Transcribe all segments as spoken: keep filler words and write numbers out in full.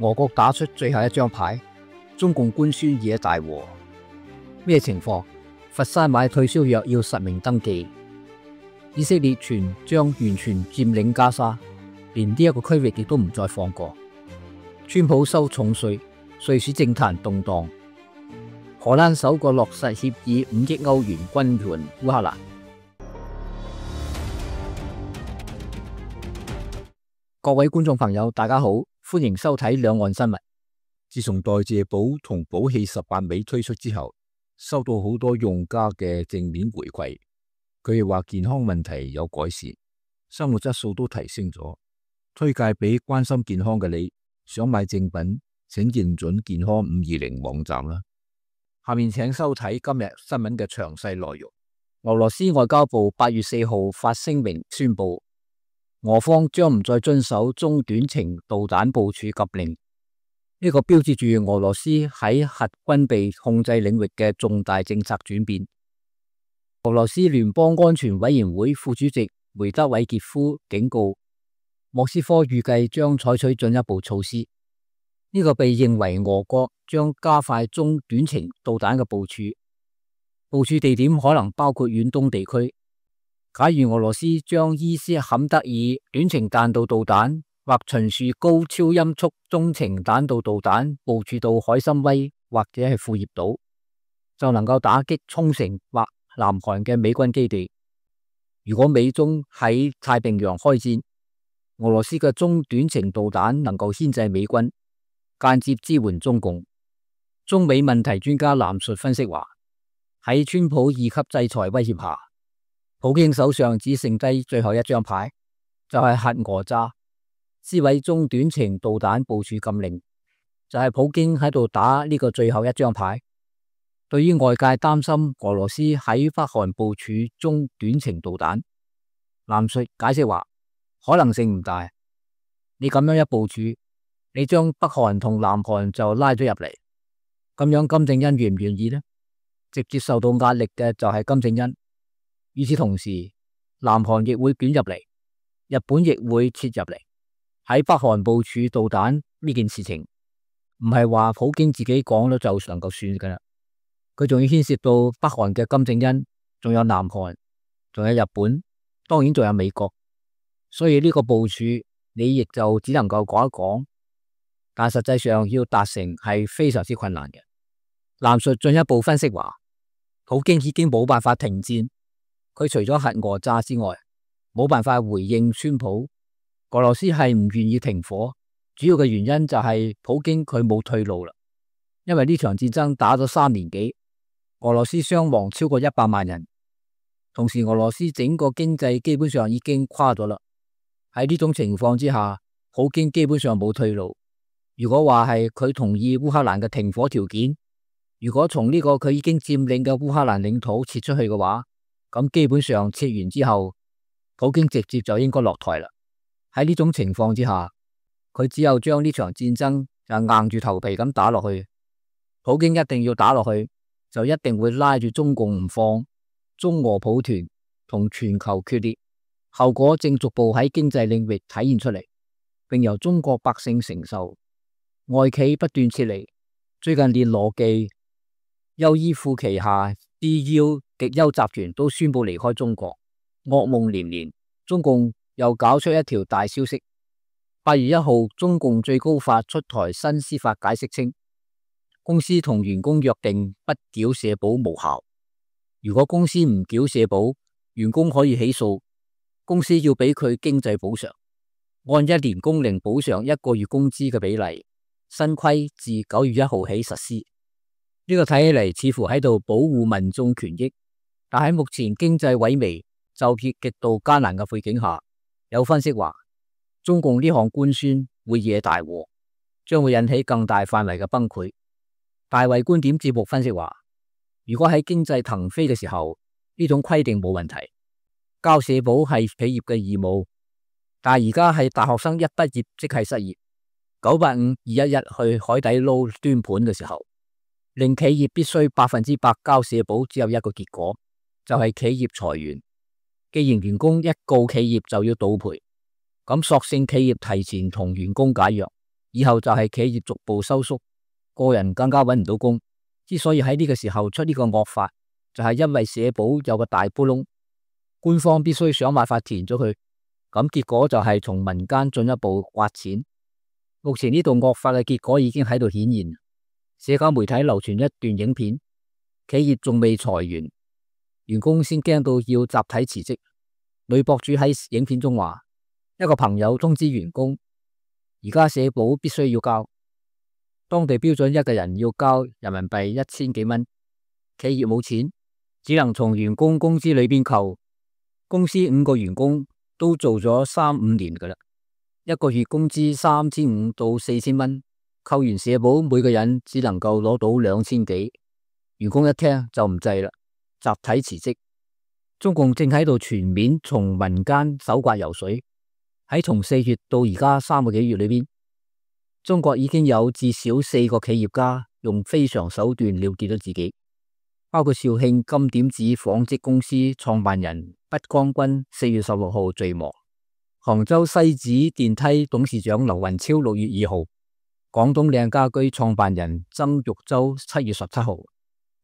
俄國打出最後一張牌，中共官宣惹大禍。咩情況？佛山買退燒藥要實名登記。以色列傳將完全佔領加沙，連呢一個區域亦都唔再放過。川普收重稅，瑞士政壇動盪。荷蘭首個落實協議五億歐元軍援烏克蘭。各位觀眾朋友，大家好，歡迎收睇兩岸新聞。自從代謝寶同寶氣十八味推出之後，收到好多用家嘅正面回饋，佢哋話健康問題有改善，生活質素都提升咗，推介俾關心健康嘅你。想買正品，請認準健康五二零網站啦。下面請收睇今日新聞嘅詳細內容。俄羅斯外交部八月四號發聲明宣布，俄方將唔再遵守中短程導彈部署禁令，呢個標誌住俄羅斯喺核軍備控制領域嘅重大政策轉變。俄羅斯聯邦安全委員會副主席梅德韋傑夫警告，莫斯科預計將採取進一步措施，呢個被認為俄國將加快中短程導彈嘅部署，部署地點可能包括遠東地區。假如俄羅斯將伊斯坎德爾短程彈道導彈或秦樹高超音速中程彈道導彈部署到海參崴或者係庫頁島，就能夠打擊沖繩或南韓嘅美軍基地。如果美中喺太平洋開戰，俄羅斯嘅中短程導彈能夠牽制美軍，間接支援中共。中美問題專家藍述分析話，喺川普二級制裁威脅下，普京手上只剩低最後一張牌，就係核訛詐，撕毀中短程導彈部署禁令，就係普京喺度打呢個最後一張牌。對於外界擔心俄羅斯喺北韓部署中短程導彈，藍述解釋話，可能性唔大。你咁樣一部署，你將北韓同南韓就拉咗入嚟，咁樣金正恩願唔願意呢？直接受到壓力嘅就係金正恩。與此同時，南韓亦會捲入嚟，日本亦會切入嚟。喺北韓部署導彈呢件事情，唔係話普京自己講咗就能夠算噶啦，佢仲要牽涉到北韓嘅金正恩，仲有南韓，仲有日本，當然仲有美國。所以呢個部署你亦就只能夠講一講，但實際上要達成係非常之困難嘅。藍述進一步分析話，普京已經冇辦法停戰。佢除咗核訛詐之外，冇辦法回應川普。俄羅斯係唔願意停火，主要嘅原因就係普京佢冇退路啦。因為呢場戰爭打咗三年幾，俄羅斯傷亡超過一百萬人，同時俄羅斯整個經濟基本上已經垮咗啦。喺呢種情況之下，普京基本上冇退路。如果話係佢同意烏克蘭嘅停火條件，如果從呢個佢已經佔領嘅烏克蘭領土撤出去嘅話，咁基本上撤完之後，普京直接就應該落台啦。喺呢種情況之下，佢只有將呢場戰爭就硬住頭皮咁打落去。普京一定要打落去，就一定會拉住中共唔放，中俄抱團同全球決裂，後果正逐步喺經濟領域體現出嚟，並由中國百姓承受。外企不斷撤離，最近連羅技、優衣庫旗下 D U 極優集團都宣布離開中國，噩夢連連。中共又搞出一條大消息，八月一號，中共最高法出台新司法解釋稱，公司同員工約定不繳社保無效。如果公司唔繳社保，員工可以起訴，公司要俾佢經濟補償，按一年工齡補償一個月工資嘅比例。新規自九月一號起實施。呢個睇起嚟似乎喺度保護民眾權益，但喺目前經濟萎靡、就業極度艱難嘅背景下，有分析話，中共呢項官宣會惹大禍，將會引起更大範圍嘅崩潰。大衛觀點節目分析話，如果喺經濟騰飛嘅時候，呢種規定冇問題，交社保係企業嘅義務，但係而家係大學生一畢業即係失業，九八五二一一去海底撈端盤嘅時候，令企業必須百分之百交社保，只有一個結果，就係企業裁員。既然員工一告企業就要倒賠，咁索性企業提前同員工解約，以後就係企業逐步收縮，個人更加揾唔到工。之所以喺呢個時候出呢個惡法，就係因為社保有個大窟窿，官方必須想辦法填咗佢，咁結果就係從民間進一步挖錢。目前呢度惡法嘅結果已經喺度顯現。社交媒體流傳一段影片，企業仲未裁員，員工先驚到要集體辭職。女博主喺影片中話，一個朋友通知員工，而家社保必須要交，當地標準一個人要交人民幣一千幾蚊，企業冇錢，只能從員工工資裏邊扣。公司五個員工都做咗三五年噶啦，一個月工資三千五到四千蚊，扣完社保，每個人只能夠攞到兩千幾。員工一聽就唔制啦，集體辭職。中共正喺度全面從民間搜刮油水。喺從四月到而家三個幾月裏邊，中國已經有至少四個企業家用非常手段了結咗自己，包括肇慶金點子紡織公司創辦人畢江軍四月十六號墜亡，杭州西子電梯董事長劉雲超六月二號，廣東靚家居創辦人曾玉洲七月十七號，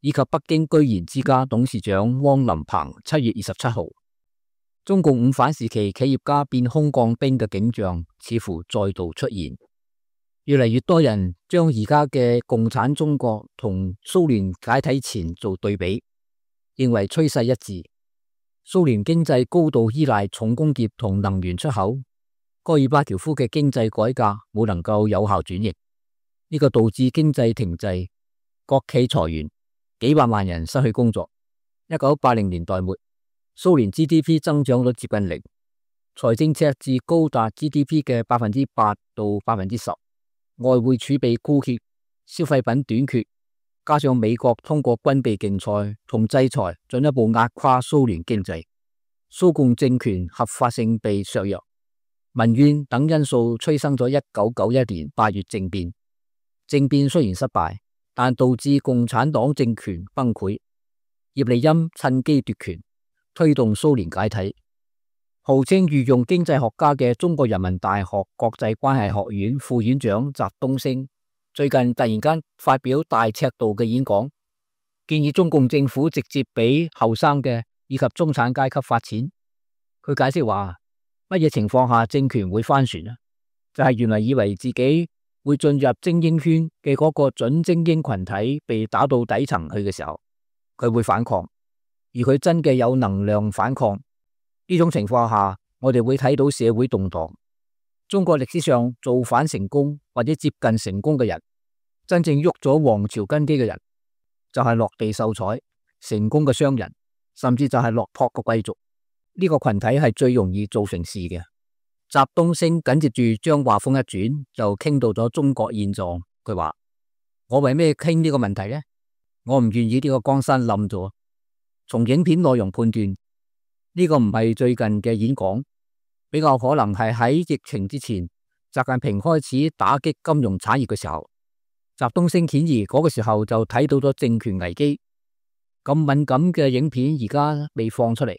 以及北京居賢之家董事長汪林鵬七月二十七號。中共五反時期企業家變空降兵嘅景象似乎再度出現，越嚟越多人將而家嘅共產中國同蘇聯解體前做對比，認為趨勢一致。蘇聯經濟高度依賴重工業同能源出口，戈爾巴喬夫嘅經濟改革冇能夠有效轉型，呢個導致經濟停滯，國企裁員，幾百萬人失去工作。一九八零年代末，蘇聯 G D P 增長率接近零，財政赤字高達 G D P 嘅百分之八到百分之十，外匯儲備枯竭，消費品短缺，加上美國通過軍備競賽同制裁進一步壓垮蘇聯經濟，蘇共政權合法性被削弱，民怨等因素催生咗一九九一年八月政變。政變雖然失敗，但導致共產黨政權崩潰，葉利欽趁機奪權，推動蘇聯解體。號稱御用經濟學家嘅中國人民大學國際關係學院副院長翟東升最近突然間發表大尺度嘅演講，建議中共政府直接俾後生嘅以及中產階級發錢。佢解釋話，乜嘢情況下政權會翻船啊？就係原來以為自己會進入精英圈嘅嗰個準精英群體被打到底層去嘅時候，佢會反抗。而佢真嘅有能量反抗，呢種情況下，我哋會睇到社會動盪。中國歷史上造反成功或者接近成功嘅人，真正喐咗王朝根基嘅人，就係落地秀才、成功嘅商人，甚至就係落魄嘅貴族。呢個群體係最容易做成事嘅。翟東升緊接住將話鋒一轉，就傾到咗中國現狀。佢話：我為咩傾呢個問題呢？我唔願意呢個江山冧咗。從影片內容判斷，呢個唔係最近嘅演講，比較可能係喺疫情之前，習近平開始打擊金融產業嘅時候。翟東升顯然嗰個時候就睇到咗政權危機。咁敏感嘅影片而家未放出嚟，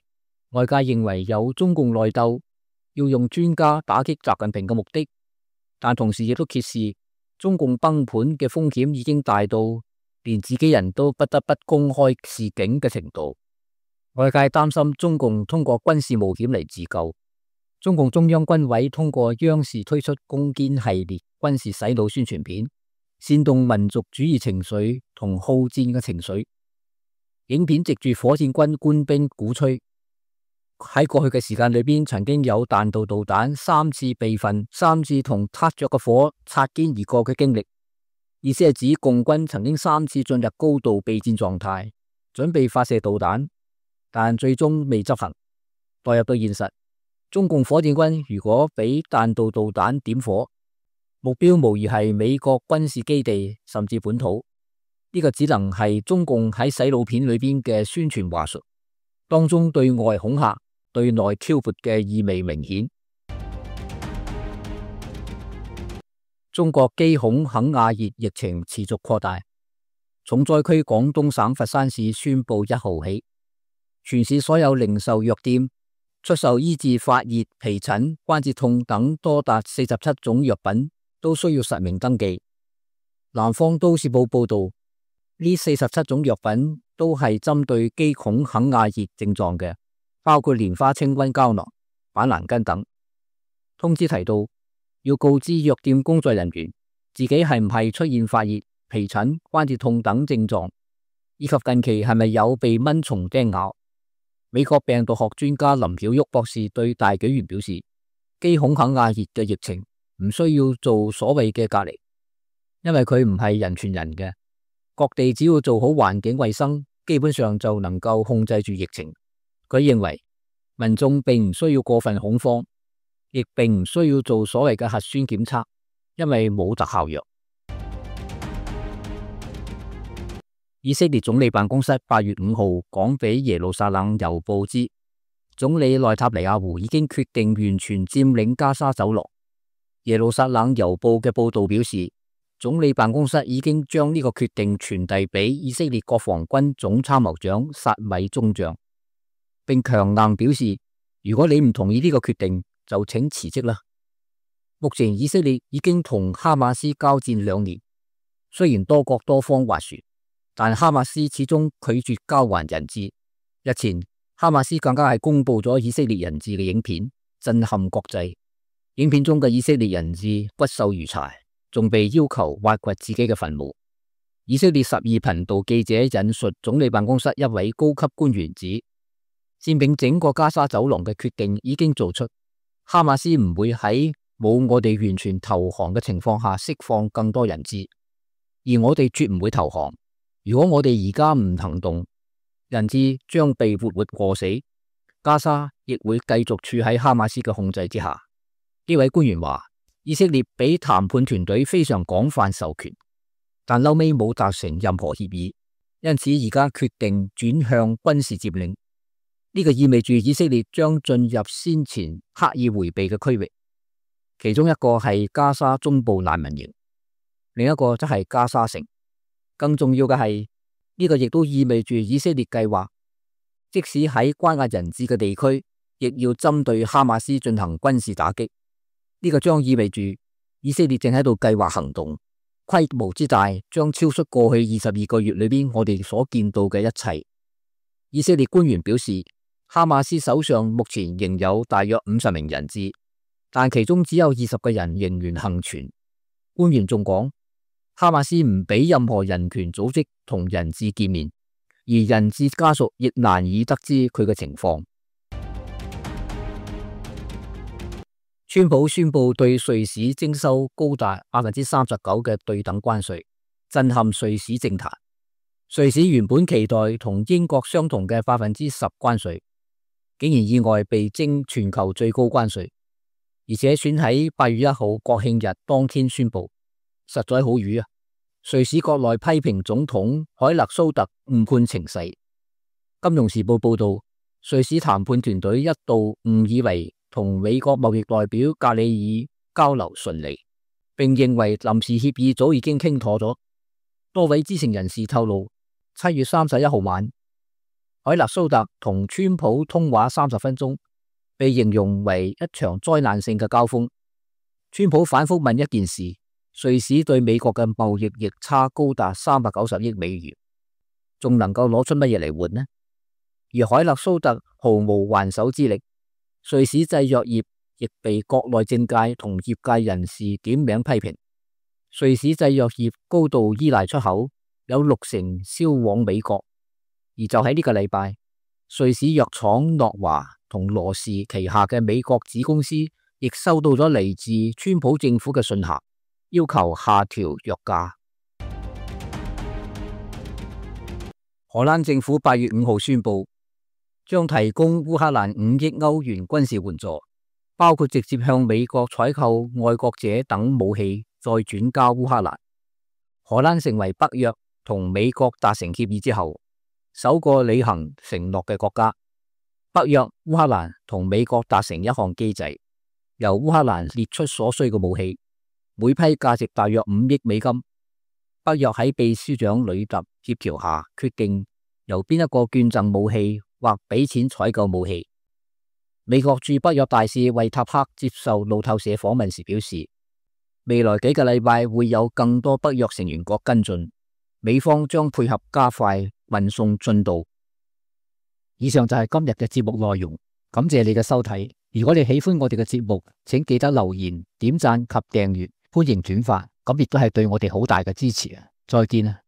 外界認為有中共內鬥，要用專家打擊習近平嘅目的，但同時亦都揭示中共崩盤嘅風險已經大到連自己人都不得不公開示警嘅程度。外界擔心中共通過軍事冒險嚟自救。中共中央軍委通過央視推出攻堅系列軍事洗腦宣傳片，煽動民族主義情緒同好戰嘅情緒。影片藉住火箭軍官兵鼓吹，喺過去嘅時間裏邊，曾經有彈道導彈三次被焚，三次同撻着嘅火擦肩而過嘅經歷。意思係指共軍曾經三次進入高度備戰狀態，準備發射導彈，但最終未執行。代入到現實，中共火箭軍如果俾彈道導彈點火，目標無疑係美國軍事基地甚至本土。呢個只能係中共喺洗腦片裏邊嘅宣傳話術，當中對外恐嚇、對內挑撥嘅意味明顯。中國機孔肯亞熱疫情持續擴大，重災區廣東省佛山市宣布一號起，全市所有零售藥店出售醫治發熱、皮疹、關節痛等多達四十七種藥品，都需要實名登記。南方都市報報道，呢四十七種藥品都係針對肌孔肯亞熱症狀嘅，包括蓮花清瘟膠囊、板藍根等。通知提到，要告知藥店工作人員自己係唔係出現發熱、皮疹、關節痛等症狀，以及近期係咪有被蚊蟲叮咬。美國病毒學專家林曉旭博士對大紀元表示，肌孔肯亞熱嘅疫情唔需要做所謂嘅隔離，因為佢唔係人傳人嘅。各地只要做好環境衛生，基本上就能夠控制住疫情。佢認為民眾並唔需要過分恐慌，亦並唔需要做所謂嘅核酸檢測，因為冇特效藥。以色列總理辦公室八月五號講俾耶路撒冷郵報知，總理內塔尼亞胡已經決定完全佔領加沙走廊。耶路撒冷郵報嘅報道表示，總理辦公室已經將呢個決定傳遞俾以色列國防軍總參謀長薩米中將，並強硬表示，如果你唔同意呢個決定，就請辭職啦。目前以色列已經同哈馬斯交戰兩年，雖然多國多方斡旋，但哈馬斯始終拒絕交還人質。日前，哈馬斯更加係公布咗以色列人質嘅影片，震撼國際。影片中嘅以色列人質骨瘦如柴，仲被要求挖掘自己嘅墳墓。以色列十二頻道記者引述總理辦公室一位高級官員指，佔領整個加沙走廊嘅決定已經做出，哈馬斯唔會喺冇我哋完全投降嘅情況下釋放更多人質，而我哋絕唔會投降。如果我哋而家唔行動，人質將被活活餓死，加沙亦會繼續處喺哈馬斯嘅控制之下。呢位官員話，以色列俾談判團隊非常廣泛授權，但後尾冇達成任何協議，因此而家決定轉向軍事佔領。呢個意味住以色列將進入先前刻意回避嘅區域，其中一個係加沙中部難民營，另一個則係加沙城。更重要嘅係，呢個亦都意味住以色列計劃，即使喺關押人質嘅地區，亦要針對哈馬斯進行軍事打擊。呢個將意味住以色列正喺度計劃行動，規模之大將超出過去二十二個月裏邊我哋所見到嘅一切。以色列官員表示，哈馬斯手上目前仍有大約五十名人質，但其中只有二十個人仍然幸存。官員仲講，哈馬斯唔俾任何人權組織同人質見面，而人質家屬亦難以得知佢嘅情況。川普宣布對瑞士徵收高達百分之三十九嘅對等關稅，震撼瑞士政壇。瑞士原本期待同英國相同嘅百分之十關稅，竟然意外被徵全球最高關稅，而且選喺八月一號國慶日當天宣布，實在好瘀啊！瑞士國內批評總統凱勒蘇特誤判情勢。金融時報報道，瑞士談判團隊一度誤以為同美國貿易代表格里爾交流順利，並認為臨時協議早已經傾妥咗。多位知情人士透露，七月三十一號晚，凱勒蘇特同川普通話三十分鐘，被形容為一場災難性嘅交鋒。川普反覆問一件事，瑞士對美國嘅貿易逆差高達三百九十億美元，仲能夠攞出乜嘢嚟換呢？而凱勒蘇特毫無還手之力。瑞士製藥業亦被國內政界同業界人士點名批評。瑞士製藥業高度依賴出口，有六成銷往美國。而就喺呢個禮拜，瑞士藥廠諾華同羅氏旗下嘅美國子公司亦收到咗嚟自川普政府嘅信函，要求下調藥價。荷蘭政府八月五號宣布，將提供烏克蘭五億歐元軍事援助，包括直接向美國採購愛國者等武器，再轉交烏克蘭。荷蘭成為北約同美國達成協議之後，首個履行承諾嘅國家。北約、烏克蘭同美國達成一項機制，由烏克蘭列出所需嘅武器，每批價值大約五億美金。北約喺秘書長呂特協調下，決定由邊一個捐贈武器或俾錢採購武器。美國駐北約大使惠塔克接受路透社訪問時表示，未來幾個禮拜會有更多北約成員國跟進，美方將配合加快運送進度。以上就係今日嘅節目內容，感謝你嘅收睇。如果你喜歡我哋嘅節目，請記得留言、點讚及訂閱，歡迎轉發，咁亦都係對我哋好大嘅支持啊！再見啊！